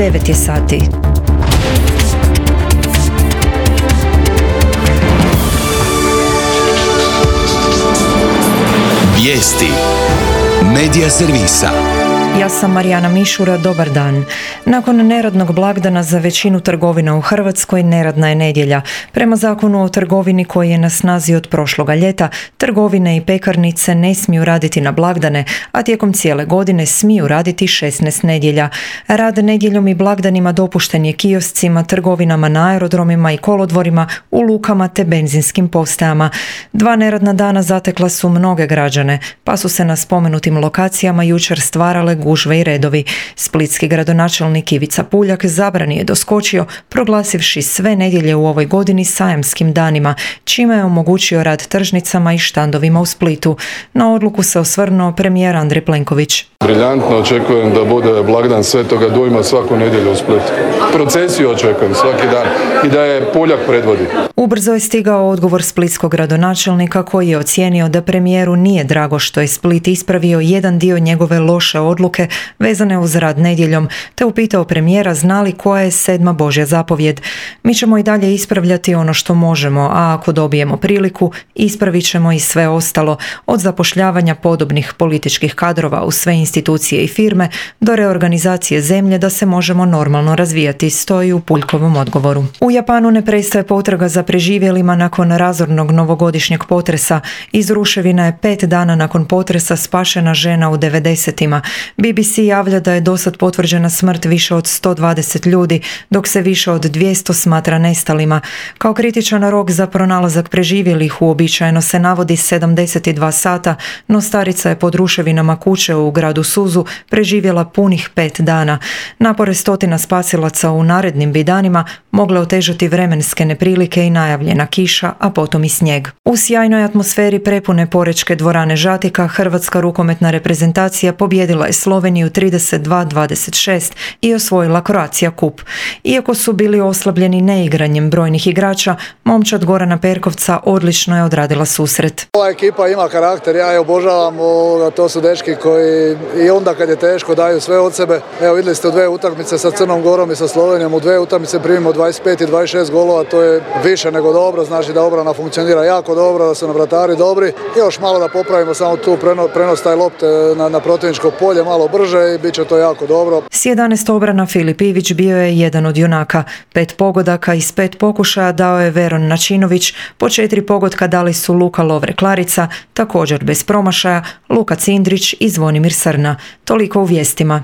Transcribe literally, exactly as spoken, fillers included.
devet je sati. Vijesti Medija servisa. Ja sam Marijana Mišura, dobar dan. Nakon neradnog blagdana za većinu trgovina u Hrvatskoj neradna je nedjelja. Prema zakonu o trgovini koji je na snazi od prošloga ljeta, trgovine i pekarnice ne smiju raditi na blagdane, a tijekom cijele godine smiju raditi šesnaest nedjelja. Rad nedjeljom i blagdanima dopušten je kioscima, trgovinama na aerodromima i kolodvorima, u lukama te benzinskim postajama. Dva neradna dana zatekla su mnoge građane, pa su se na spomenutim lokacijama jučer stvarale gužve i redovi. Splitski gradonačelnik Ivica Puljak zabrani je doskočio, proglasivši sve nedjelje u ovoj godini sajamskim danima, čime je omogućio rad tržnicama i štandovima u Splitu. Na odluku se osvrnuo premijer Andrej Plenković. Briljantno, očekujem da bude blagdan Svetoga Dujma svaku nedjelju u Splitu. Procesiju očekujem svaki dan i da je Puljak predvodi. Ubrzo je stigao odgovor splitskog gradonačelnika koji je ocijenio da premijeru nije drago što je Split ispravio jedan dio njegove loše odluke vezane uz rad nedjeljom, te upitao premijera zna li koja je sedma Božja zapovjed. Mi ćemo i dalje ispravljati ono što možemo, a ako dobijemo priliku, ispravit ćemo i sve ostalo, od zapošljavanja podobnih političkih kadrova u sve institucije i firme do reorganizacije zemlje da se možemo normalno razvijati, stoji u Puljkovom odgovoru. U Japanu ne prestaje potraga za preživjelima nakon razornog novogodišnjeg potresa. Iz ruševina je pet dana nakon potresa spašena žena u devedesetima. B B C javlja da je dosad potvrđena smrt više od sto dvadeset ljudi, dok se više od dvjesto smatra nestalima. Kao kritičan rok za pronalazak preživjelih uobičajeno se navodi sedamdeset dva sata, no starica je pod ruševinama kuće u gradu Suzu preživjela punih pet dana. Napore stotina spasilaca u narednim bi danima mogle otežati vremenske neprilike i najavljena kiša, a potom i snijeg. U sjajnoj atmosferi prepune Porečke dvorane Žatika hrvatska rukometna reprezentacija pobjedila je Sloveniju trideset dva dvadeset šest i osvojila Croatia Cup. Iako su bili oslabljeni neigranjem brojnih igrača, momčad Gorana Perkovca odlično je odradila susret. Ova ekipa ima karakter, ja je obožavam, to su dečki koji i onda kad je teško daju sve od sebe. Evo vidjeli ste u dvije utakmice sa Crnom Gorom i sa Slovenijom, u dvije utakmice primimo dvadeset pet i dvadeset šest golova, to je više nego dobro, znači da obrana funkcionira jako dobro, da su nam vratari dobri. I još malo da popravimo samo tu prenos, prenos taj lopte na, na protivničko polje malo brže i bit će to jako dobro. S jedanaest obrana Filip Ivić bio je jedan od junaka. Pet pogodaka iz pet pokušaja dao je Veron Načinović, po četiri pogotka dali su Luka Lovre-Klarica, također bez promašaja, Luka Cindrić i Zvonimir Srna. Toliko u vijestima.